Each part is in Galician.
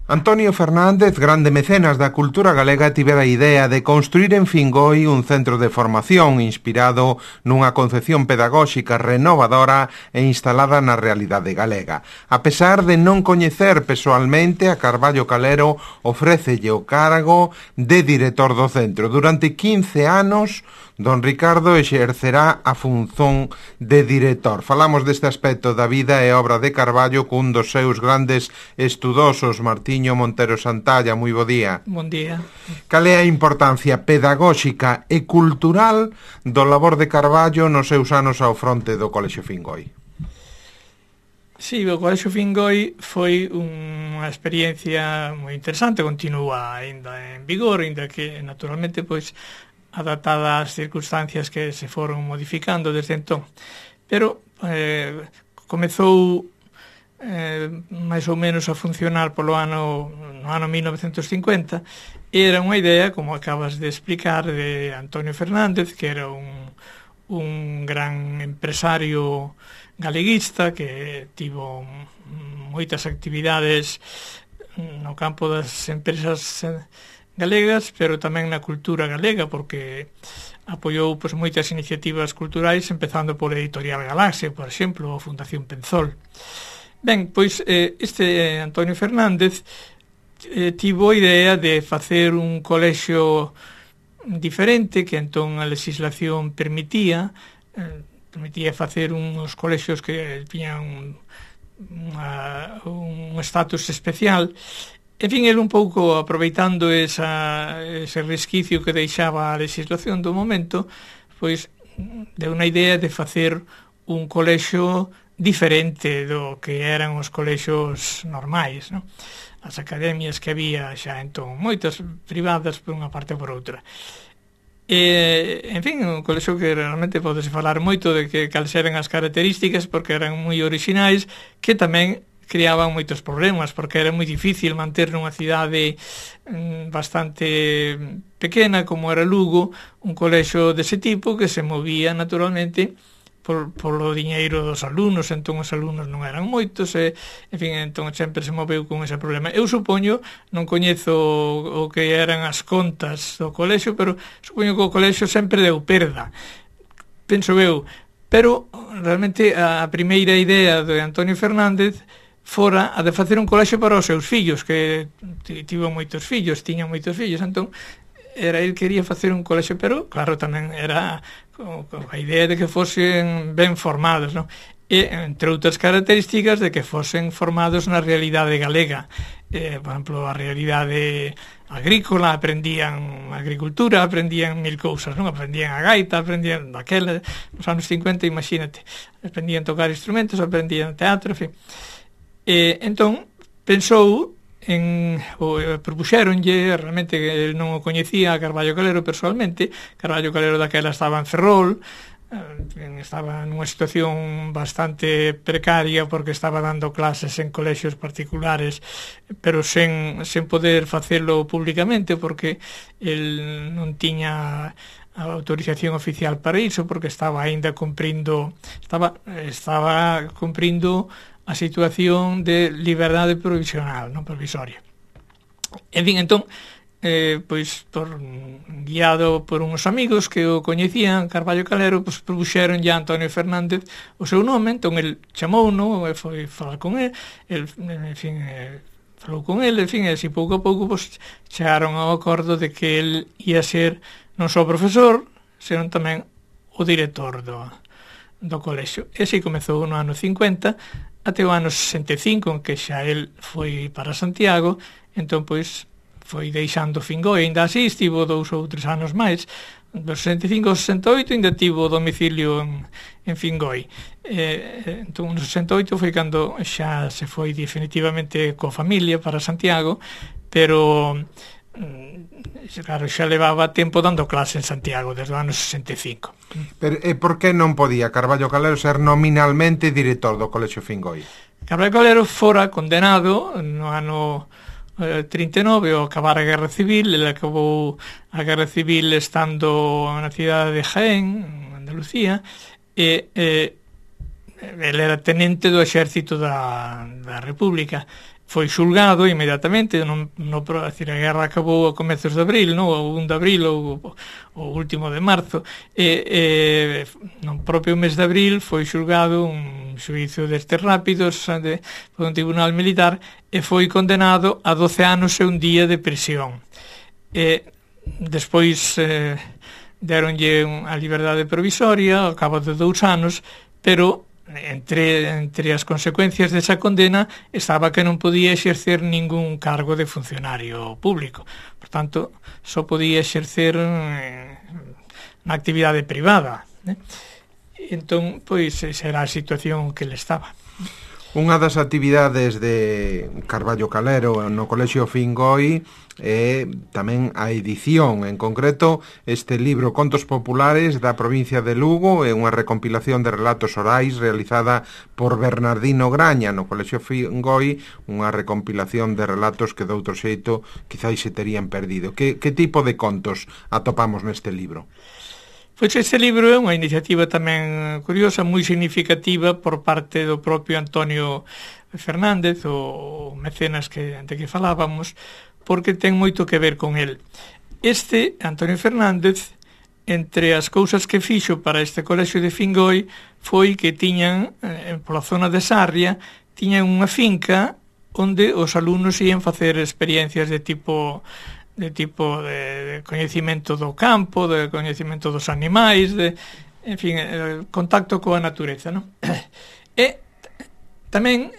Antonio Fernández, grande mecenas da cultura galega, tivera a idea de construir en Fingoi un centro de formación inspirado nunha concepción pedagóxica renovadora e instalada na realidade galega. A pesar de non coñecer persoalmente, a Carballo Calero ofrécelle o cargo de director do centro. Durante 15 anos, don Ricardo exercerá a función de director. Falamos deste aspecto da vida e obra de Carballo cun dos seus grandes estudosos, Martiño Montero Santalla. Moi bo día. Bon día. Cal é a importancia pedagóxica e cultural do labor de Carballo nos seus anos ao fronte do Colexio Fingoi? Sí, o Colexio Fingoi foi unha experiencia moi interesante, continúa ainda en vigor, ainda que naturalmente pois adaptada ás circunstancias que se foron modificando desde entón. Pero comezou máis ou menos a funcionar no ano 1950 e era unha idea, como acabas de explicar, de Antonio Fernández, que era un gran empresario galeguista que tivo moitas actividades no campo das empresas galegas, pero tamén na cultura galega, porque apoiou pois, moitas iniciativas culturais, empezando por Editorial Galaxia, por exemplo, ou Fundación Penzol. Ben, pois este Antonio Fernández tivo a idea de facer un colexio diferente, que entón a legislación permitía facer uns colexios que tiñan un estatus especial. En fin, era un pouco aproveitando ese resquicio que deixaba a legislación do momento, pois de unha idea de facer un colexio diferente do que eran os colexios normais, non? As academias que había xa entón, moitas privadas por unha parte ou por outra. En fin, un colexio que realmente podese falar moito de que cales eran as características, porque eran moi orixinais, que tamén creaban moitos problemas, porque era moi difícil manter nunha cidade bastante pequena como era Lugo un colexio dese tipo que se movía naturalmente polo diñeiro dos alumnos. Entón os alumnos non eran moitos e, en fin, entón sempre se moveu con ese problema. Eu supoño, non coñezo o que eran as contas do colexio, pero supoño que o colexio sempre deu perda, penso eu, pero realmente a primeira idea de Antonio Fernández fora a de facer un colexio para os seus fillos, que tivo moitos fillos, tiña moitos fillos, entón el quería facer un colexio, pero claro, tamén era a idea de que fosen ben formados, non? E, entre outras características, de que fosen formados na realidade galega. Por exemplo, a realidade agrícola, aprendían agricultura, aprendían mil cousas, non? Aprendían a gaita, aprendían daquela, nos anos 50, imagínate, aprendían tocar instrumentos, aprendían teatro, en fin. Entón pensou propuxéronlle, realmente ele non o coñecía a Carballo Calero personalmente. Carballo Calero daquela estaba en Ferrol, estaba nunha situación bastante precaria porque estaba dando clases en colexios particulares, pero sen poder facelo públicamente, porque el non tiña a autorización oficial para iso, porque estaba aínda cumprindo a situación de liberdade provisional, non provisoria. En fin, entón, pois, guiado por uns amigos que o coñecían, Carballo Calero, pois, propuxeron a Antonio Fernández o seu nome. Entón, el chamouno, foi falar con el, en fin, falou con el, en fin, e así pouco a pouco, pois, chegaron ao acordo de que el ia ser non só profesor, senón tamén o director do colexio. E así comezou no ano 50, até o ano 65, en que xa el foi para Santiago. Entón, pois, foi deixando Fingoi, ainda así estivo 2 ou 3 anos máis. Do 65 ao 68 ainda tivo domicilio en Fingoi. Entón, no 68 foi cando xa se foi definitivamente coa familia para Santiago, pero claro, xa levaba tempo dando clase en Santiago desde o ano 65. Pero por que non podía Carballo Calero ser nominalmente director do Colexio Fingoi? Carballo Calero fora condenado no ano 39 ao acabar a Guerra Civil. Ele acabou a Guerra Civil estando na cidade de Jaén, en Andalucía, e ele era tenente do exército da República. foi xulgado inmediatamente, decir, a guerra acabou a comezos de abril, non? O 1 de abril ou o último de marzo, no propio mes de abril foi xulgado un xuízo destes rápidos por un tribunal militar e foi condenado a 12 anos e un día de prisión. Despois deronlle a liberdade provisoria ao cabo de 2 anos, pero entre as consecuencias desa condena estaba que non podía exercer ningún cargo de funcionario público. Por tanto, só podía exercer na actividade privada. Entón, pois, esa era a situación que ele estaba. Unha das actividades de Carballo Calero no Colexio Fingoi é tamén a edición, en concreto este libro Contos Populares da provincia de Lugo, é unha recompilación de relatos orais realizada por Bernardino Graña no Colexio Fingoi, unha recompilación de relatos que de outro xeito quizáis se terían perdido. Que tipo de contos atopamos neste libro? Pois este libro é unha iniciativa tamén curiosa, moi significativa por parte do propio Antonio Fernández, o mecenas ante que falábamos, porque ten moito que ver con el. Este, Antonio Fernández, entre as cousas que fixo para este colexio de Fingoi foi que tiñan, pola zona de Sarria, tiñan unha finca onde os alumnos ian facer experiencias de tipo de coñecimento do campo, de coñecimento dos animais, en fin, contacto coa natureza, non? E tamén,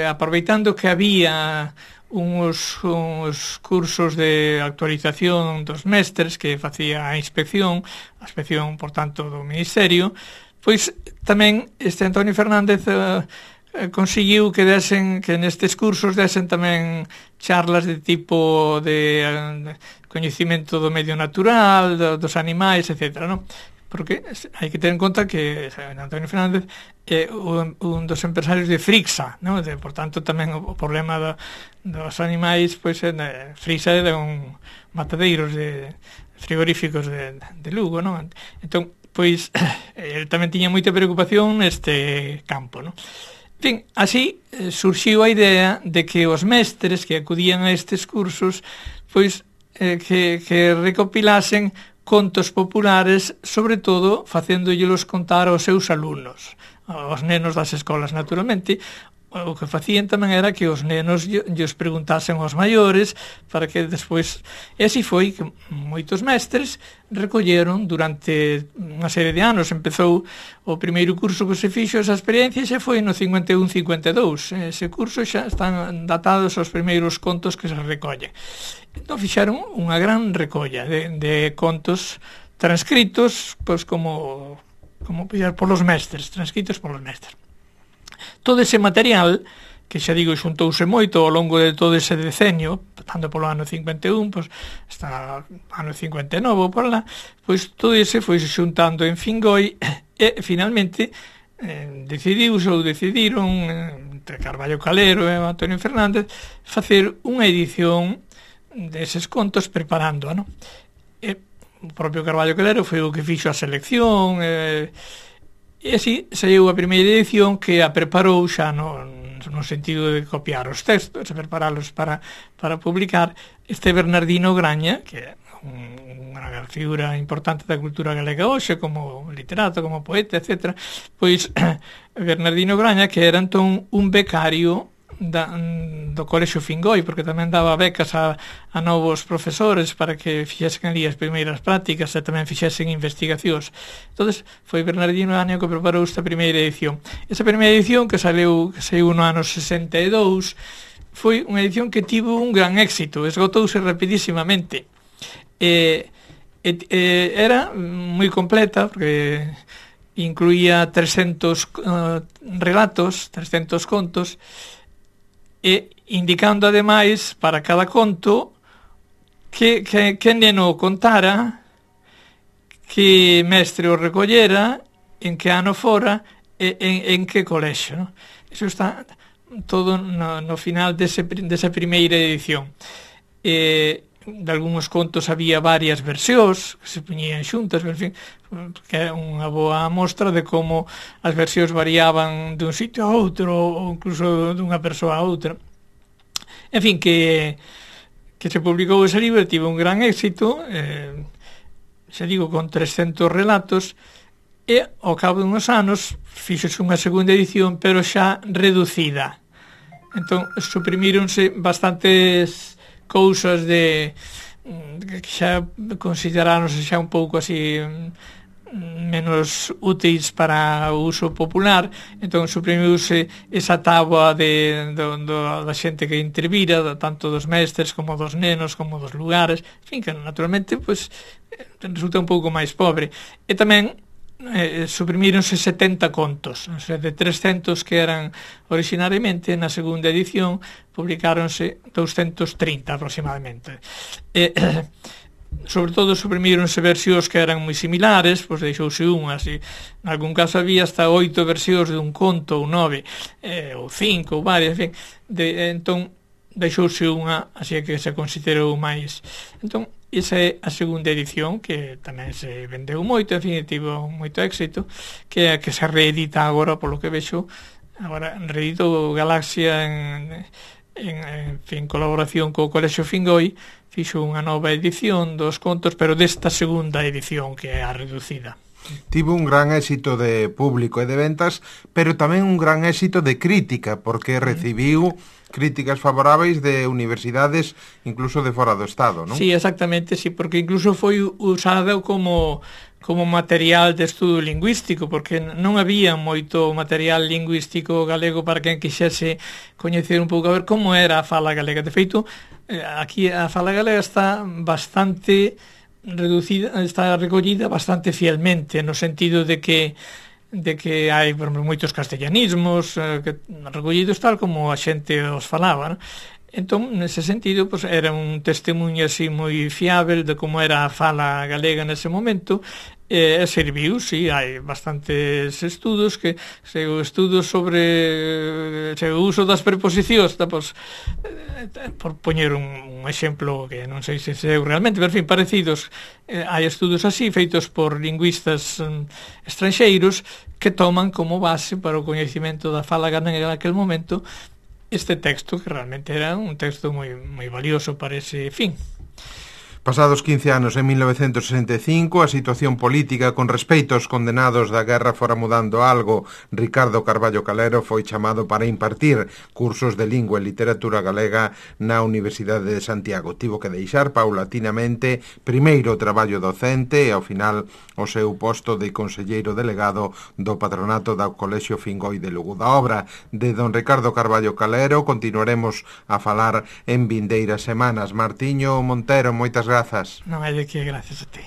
aproveitando que había uns cursos de actualización dos mestres que facía a inspección, por tanto, do Ministerio, pois tamén este Antonio Fernández conseguiu que nestes cursos desen tamén charlas de tipo de coñecimento do medio natural, dos animais, etc., non? Porque hai que ter en conta que Antonio Fernández é un dos empresarios de Frixa, non? Por tanto, tamén o problema dos animais, pois, Frixa é de un matadeiros de frigoríficos de Lugo, non? Entón, pois, ele tamén tiña moita preocupación neste campo, non? En fin, así surxiu a idea de que os mestres que acudían a estes cursos pois que recopilasen contos populares, sobre todo facéndollelos contar aos seus alumnos, aos nenos das escolas, naturalmente. O que facían tamén era que os nenos lles preguntasen aos maiores para que despois... E así foi que moitos mestres recolleron durante unha serie de anos. Empezou o primeiro curso que se fixo esa experiencia e xa foi no 51-52. Ese curso xa están datados os primeiros contos que se recollen. Entón fixaron unha gran recolla de contos transcritos, pois como polos mestres, transcritos polos mestres. Todo ese material, que xa digo, xuntouse moito ao longo de todo ese decenio, tanto polo ano 51, pois, hasta ano 59, por lá, pois todo ese foi xuntando en Fingoi e, finalmente, decidiron, entre Carballo Calero e Antonio Fernández, facer unha edición deses contos preparándoa, non? E o propio Carballo Calero foi o que fixo a selección, e así saiu a primeira edición que a preparou xa no sentido de copiar os textos e preparalos para publicar este Bernardino Graña, que é unha figura importante da cultura galega hoxe, como literato, como poeta, etc. Pois Bernardino Graña, que era entón un becario do Colexio Fingoi, porque tamén daba becas a novos profesores para que fixesen ali as primeiras prácticas e tamén fixesen investigacións. Entonces foi Bernardino Graña que preparou esta primeira edición. Esa primeira edición que saiu no ano 62 foi unha edición que tivo un gran éxito, esgotouse rapidísimamente. Era moi completa porque incluía 300 relatos, 300 contos, e indicando ademais para cada conto que neno o contara, que mestre o recollera, en que ano fora e en que colexio, no? Iso está todo no final desa primeira edición. De algúns contos había varias versións que se poñían xuntas, en fin, que é unha boa mostra de como as versións variaban dun sitio a outro ou incluso dunha persoa a outra. En fin, que se publicou ese libro, tive un gran éxito, xa digo, con 300 relatos, e ao cabo de uns anos fixose unha segunda edición, pero xa reducida. Entón, suprimíronse bastantes cousas que xa consideráronse xa un pouco así menos úteis para o uso popular. Entón suprimiuse esa táboa da xente que intervira, tanto dos mestres como dos nenos como dos lugares, en fin, que naturalmente pues, resulta un pouco máis pobre. E tamén suprimíronse 70 contos, o sea, de 300 que eran originariamente, na segunda edición publicáronse 230 aproximadamente. Sobre todo suprimíronse versións que eran moi similares, pois deixouse unhas, e en algún caso había hasta 8 versións de un conto ou 9, ou 5 ou varias, en fin, entón deixouse unha, así que se considerou máis. Entón, esa é a segunda edición, que tamén se vendeu moito, en fin, tivo moito éxito, que é a que se reedita agora, polo que vexo, agora reedito Galaxia en fin, colaboración co Colexio Fingoi, fixo unha nova edición dos contos, pero desta segunda edición, que é a reducida. Tivo un gran éxito de público e de ventas, pero tamén un gran éxito de crítica, porque recibiu críticas favoráveis de universidades, incluso de fora do Estado, non? Sí, exactamente, sí, porque incluso foi usado como material de estudo lingüístico, porque non había moito material lingüístico galego para quen quixese coñecer un pouco a ver como era a fala galega. De feito, aquí a fala galega está bastante reducida, está recollida bastante fielmente, no sentido de que hai, por exemplo, moitos castellanismos recollidos tal como a xente os falaba, non? Entón, nese sentido, pues, era un testemunho así moi fiável de como era a fala galega nese momento, e serviu, sí, hai bastantes estudos estudos sobre o uso das preposicións, pues, por poñer un exemplo que non sei se é realmente, pero, en fin, parecidos, hai estudos así feitos por lingüistas estranxeiros que toman como base para o coñecemento da fala galega naquele momento este texto, que realmente era un texto moi valioso para ese fin. Pasados 15 anos, en 1965, a situación política con respecto aos condenados da guerra fora mudando algo. Ricardo Carballo Calero foi chamado para impartir cursos de lingua e literatura galega na Universidade de Santiago. Tivo que deixar paulatinamente primeiro o traballo docente e ao final o seu posto de conselleiro delegado do patronato do Colexio Fingoi de Lugo. Da obra de don Ricardo Carballo Calero continuaremos a falar en vindeiras semanas. Martiño Montero, moitas grazas. Non hai de que, gracias a ti.